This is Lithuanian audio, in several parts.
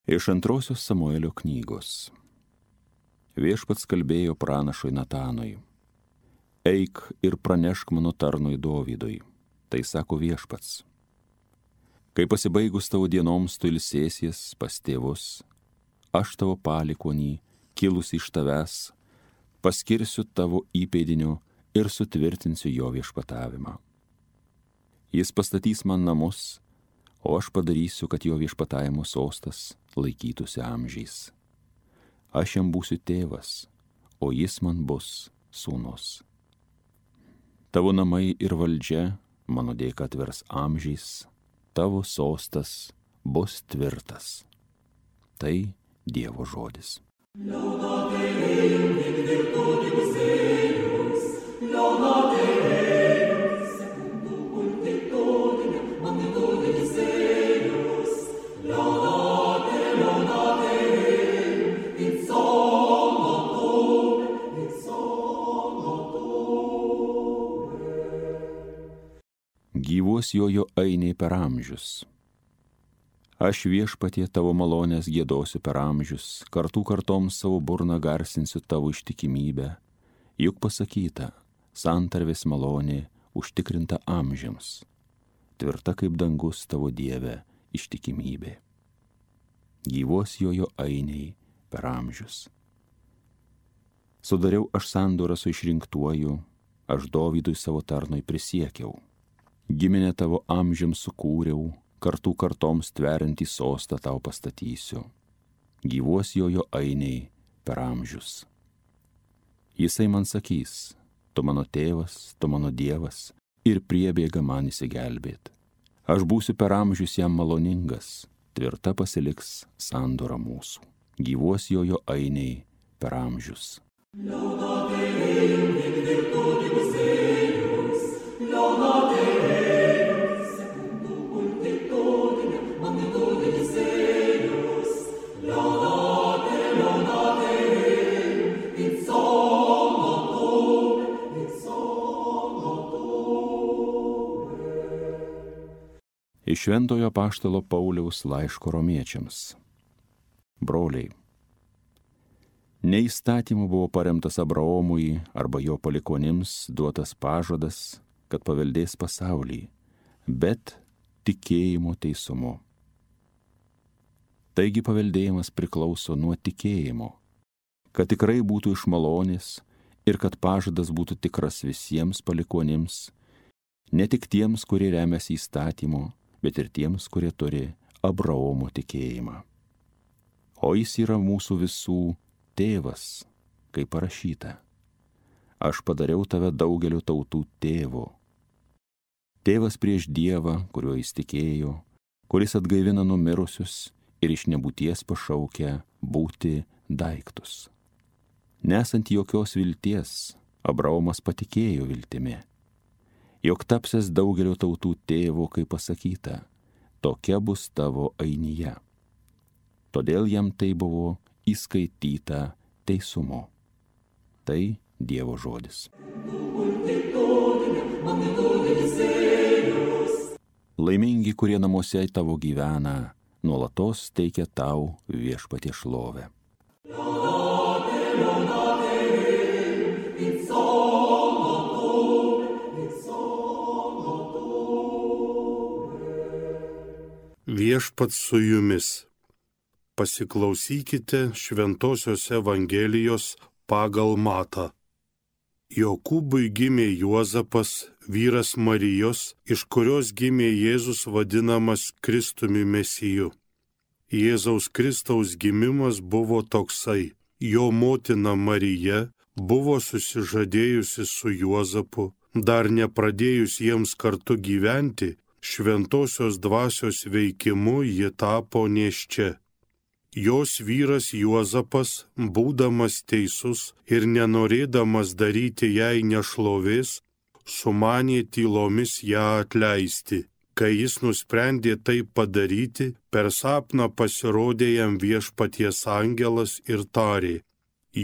Iš antrosios Samuelio knygos. Viešpats kalbėjo pranašui Natanui. Eik ir pranešk mano tarnui Dovydui. Tai sako Viešpats. Kai pasibaigus tavo dienoms tu ilsėsies pas tėvus, aš tavo palikuonį, kilusi iš tavęs, paskirsiu tavo įpėdiniu ir sutvirtinsiu jo viešpatavimą. Jis pastatys man namus, o aš padarysiu, kad jo viešpatavimo sostas laikytųsi amžiais. Aš jam būsiu tėvas, o jis man bus sūnus. Tavo namai ir valdžia mano dėka atvers amžiais, tavo sostas bus tvirtas. Tai Dievo žodis. Gyvuos jojo ainiai per amžius. Aš Viešpatie tavo malonės giedosiu per amžius, kartų kartoms savo burną garsinsiu tavo ištikimybę, juk pasakyta, santarvės malonė užtikrinta amžiams, tvirta kaip dangus tavo Dieve ištikimybė. Gyvuos jojo ainiai per amžius. Sudariau aš sandorą su išrinktuoju, aš Dovydui savo tarnui prisiekiau. Giminę tavo amžiams sukūriau, kartų kartoms tveriantį sostą tau pastatysiu. Gyvuos jojo ainiai per amžius. Jisai man sakys, tu mano tėvas, tu mano Dievas, ir priebėga man įsigelbėt. Aš būsiu per amžius jam maloningas, tvirta pasiliks sandora mūsų. Gyvuos jojo ainiai per amžius. Iš Šventojo apaštalo Pauliaus laiško Romiečiams. Broliai, ne įstatymu buvo paremtas Abraomui arba jo palikuonims duotas pažadas, kad paveldės pasaulį, bet tikėjimo teisumu. Taigi paveldėjimas priklauso nuo tikėjimo, kad tikrai būtų iš malonės ir kad pažadas būtų tikras visiems palikuonims, ne tik tiems, kurie remiasi įstatymu, bet ir tiems, kurie turi Abraomo tikėjimą. O jis yra mūsų visų tėvas, kaip parašyta. Aš padariau tave daugelio tautų tėvu. Tėvas prieš Dievą, kuriuo jis tikėjo, kuris atgaivina numirusius ir iš nebūties pašaukia būti daiktus. Nesant jokios vilties, Abraomas patikėjo viltimi, jog tapsies daugelio tautų tėvu, kaip pasakyta, tokia bus tavo ainija. Todėl jam tai buvo įskaityta teisumu. Tai Dievo žodis. Laimingi, kurie namuose tavo gyvena, nuolatos teikia tau Viešpatie šlovę. Viešpats su jumis. Pasiklausykite Šventosios Evangelijos pagal Matą. Jokūbui gimė Juozapas, vyras Marijos, iš kurios gimė Jėzus vadinamas Kristumi Mesiju. Jėzaus Kristaus gimimas buvo toksai. Jo motina Marija buvo susižadėjusi su Juozapu, dar nepradėjus jiems kartu gyventi, Šventosios dvasios veikimu ji tapo nėščia. Jos vyras Juozapas, būdamas teisus ir nenorėdamas daryti jai nešlovės, sumanė tylomis ją atleisti. Kai jis nusprendė tai padaryti, per sapną pasirodė jam Viešpaties angelas ir tarė: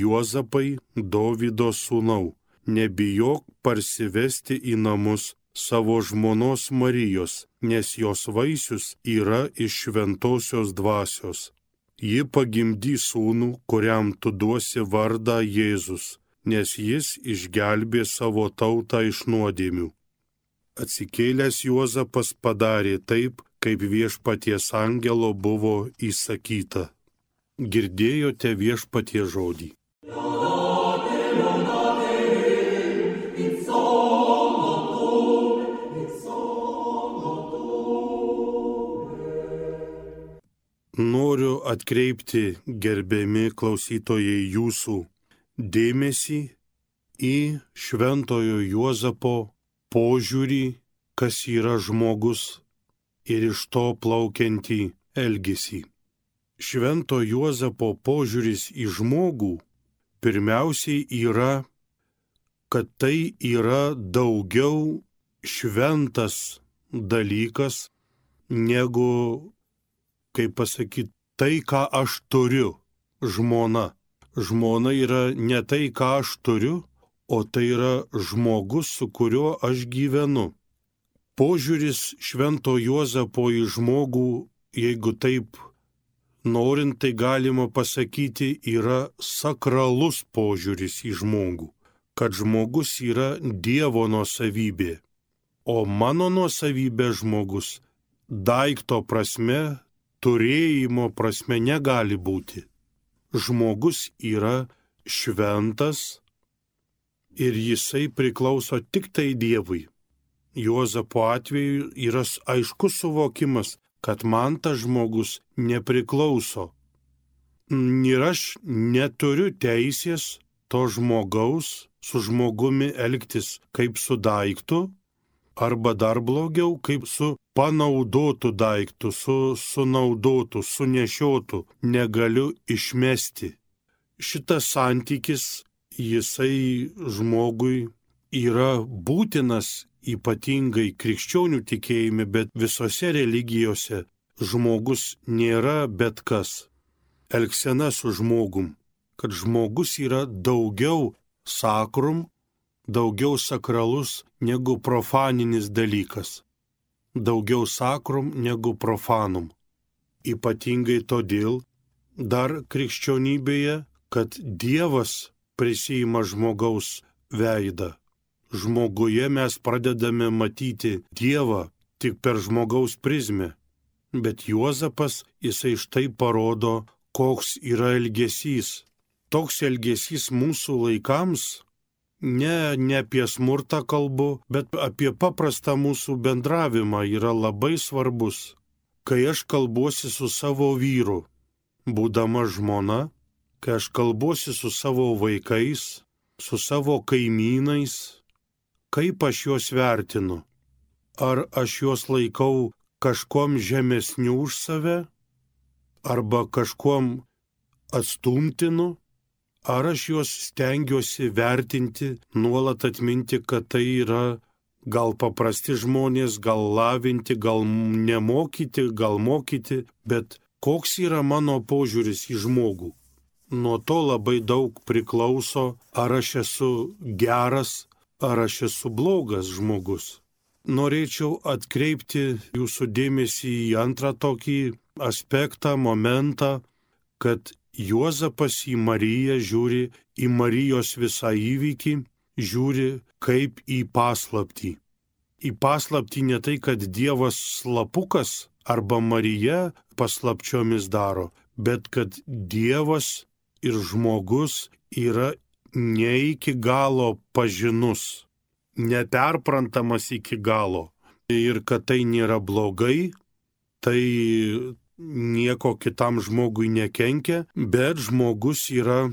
Juozapai, Dovydo sūnau, nebijok parsivesti į namus savo žmonos Marijos, nes jos vaisius yra iš šventosios dvasios. ji pagimdys sūnų, kuriam tu duosi vardą Jėzus, nes jis išgelbė savo tautą iš nuodėmių. Atsikėlęs Juozapas padarė taip, kaip viešpaties angelo buvo įsakyta. Girdėjote viešpaties žodį. Noriu atkreipti, gerbiami klausytojai, jūsų dėmesį į šventojo Juozapo požiūrį, kas yra žmogus, ir iš to plaukiantį elgesį. Švento Juozapo požiūris į žmogų pirmiausiai yra, kad tai yra daugiau šventas dalykas negu, kaip pasakyti, tai, ką aš turiu, žmona. Žmona yra ne tai, ką aš turiu, o tai yra žmogus, su kuriuo aš gyvenu. Požiūris švento Juozapo į žmogų, jeigu taip norint, tai galima pasakyti, yra sakralus požiūris į žmogų, kad žmogus yra Dievo nuosavybė, o mano nuosavybė žmogus daikto prasme, turėjimo prasme negali būti. Žmogus yra šventas ir jisai priklauso tik tai Dievui. Juozapo atveju yra aiškus suvokimas, kad man tas žmogus nepriklauso. Ir aš neturiu teisės to žmogaus su žmogumi elgtis kaip su daiktu, arba dar blogiau, kaip su panaudotu daiktu, sunaudotu, sunešiotu, negaliu išmesti. Šitas santykis, jisai žmogui yra būtinas, ypatingai krikščionių tikėjime, bet visose religijose žmogus nėra bet kas. Elgsena su žmogum, kad žmogus yra daugiau sakrum, daugiau sakralus negu profaninis dalykas. Daugiau sakrum negu profanum. Ypatingai todėl dar krikščionybėje, kad Dievas prisiima žmogaus veidą. Žmoguje mes pradedame matyti Dievą tik per žmogaus prizmę. Bet Juozapas, jisai štai parodo, koks yra elgesys. Toks elgesys mūsų laikams, ne apie smurtą kalbu, bet apie paprastą mūsų bendravimą yra labai svarbus. Kai aš kalbuosi su savo vyru, būdama žmona, kai aš kalbuosi su savo vaikais, su savo kaimynais, kaip aš juos vertinu? Ar aš juos laikau kažkuom žemesniu už save? Arba kažkuom atstumtinu? Ar aš juos stengiuosi vertinti, nuolat atminti, kad tai yra gal paprasti žmonės, gal lavinti, gal nemokyti, gal mokyti, bet koks yra mano požiūris į žmogų? Nuo to labai daug priklauso, ar aš esu geras, ar aš esu blogas žmogus. Norėčiau atkreipti jūsų dėmesį į antrą tokį aspektą, momentą, kad Juozapas į Mariją žiūri, į Marijos visą įvykį, žiūri kaip į paslaptį. Į paslaptį ne tai, kad Dievas slapukas arba Marija paslapčiomis daro, bet kad Dievas ir žmogus yra ne iki galo pažinus, neperprantamas iki galo. Ir kad tai nėra blogai, tai nieko kitam žmogui nekenkia, bet žmogus yra,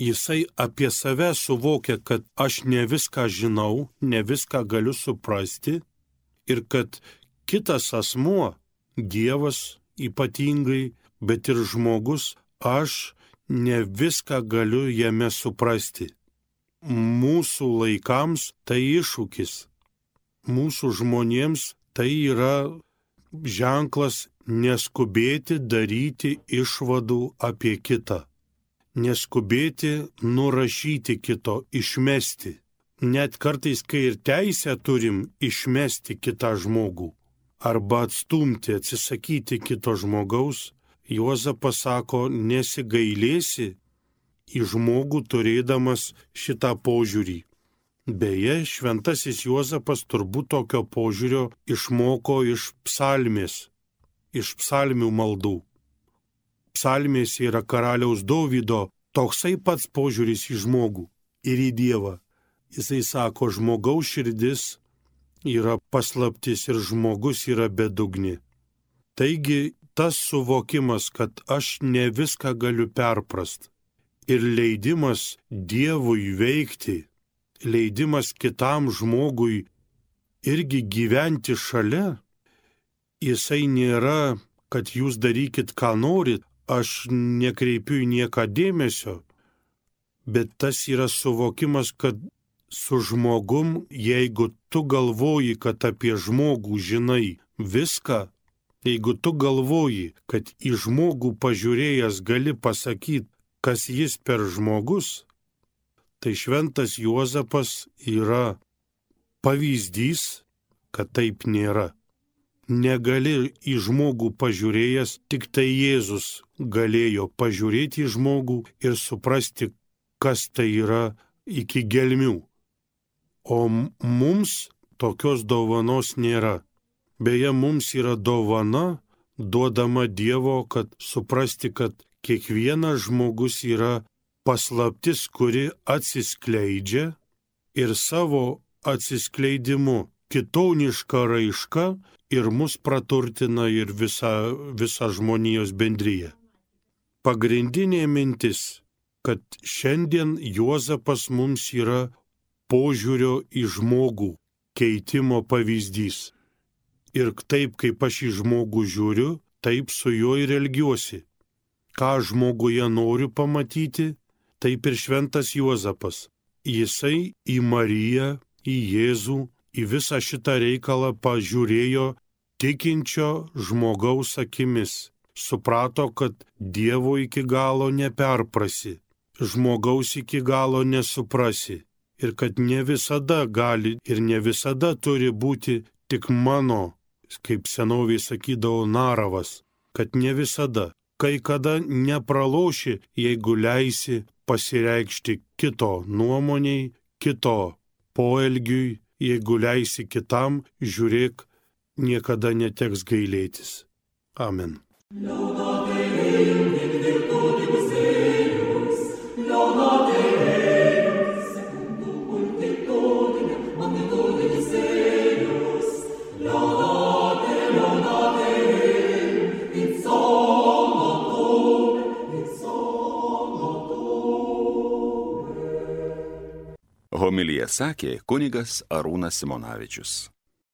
jisai apie save suvokia, kad aš ne viską žinau, ne viską galiu suprasti ir kad kitas asmuo, Dievas ypatingai, bet ir žmogus, aš ne viską galiu jame suprasti. Mūsų laikams tai iššūkis, mūsų žmonėms tai yra ženklas neskubėti daryti išvadų apie kitą, neskubėti nurašyti kito, išmesti. Net kartais, kai ir teisę turim išmesti kitą žmogų arba atstumti, atsisakyti kito žmogaus, Juozapas sako, nesigailėsi į žmogų turėdamas šitą požiūrį. Beje, šventasis Juozapas turbūt tokio požiūrio išmoko iš psalmės, iš psalmių maldų. Psalmės yra karaliaus Dovydo toksai pats požiūris į žmogų ir į Dievą. Jisai sako, žmogaus širdis yra paslaptis ir žmogus yra bedugnė. Taigi tas suvokimas, kad aš ne viską galiu perprast ir leidimas Dievui veikti, leidimas kitam žmogui irgi gyventi šalia, jisai nėra, kad jūs darykit, ką norit, aš nekreipiu į nieką dėmesio, bet tas yra suvokimas, kad su žmogum, jeigu tu galvoji, kad apie žmogų žinai viską, jeigu tu galvoji, kad į žmogų pažiūrėjęs gali pasakyti, kas jis per žmogus, tai šventas Juozapas yra pavyzdys, kad taip nėra. Negali į žmogų pažiūrėjęs, tik tai Jėzus galėjo pažiūrėti į žmogų ir suprasti, kas tai yra iki gelmių. O mums tokios dovanos nėra. Beje, mums yra dovana duodama Dievo, kad suprasti, kad kiekvienas žmogus yra paslaptis, kuri atsiskleidžia ir savo atsiskleidimu kitoniška raiška ir mus praturtina ir visą žmonijos bendriją. Pagrindinė mintis, kad šiandien Juozapas mums yra požiūrio į žmogų keitimo pavyzdys. Ir taip, kaip aš į žmogų žiūriu, taip su juo ir elgiuosi. Ką žmoguje noriu pamatyti, taip ir šventas Juozapas. Jisai į Mariją, į Jėzų, į visą šitą reikalą pažiūrėjo tikinčio žmogaus akimis. Suprato, kad Dievo iki galo neperprasi, žmogaus iki galo nesuprasi. Ir kad ne visada gali ir ne visada turi būti tik mano, kaip senovėje sakydavo, naravas, kad ne visada, kai kada nepraloši, jeigu leisi pasireikšti kito nuomoniai, kito poelgiui, jeigu leisi kitam, žiūrėk, niekada neteks gailėtis. Amen. Homiliją sakė kunigas Arūnas Simonavičius.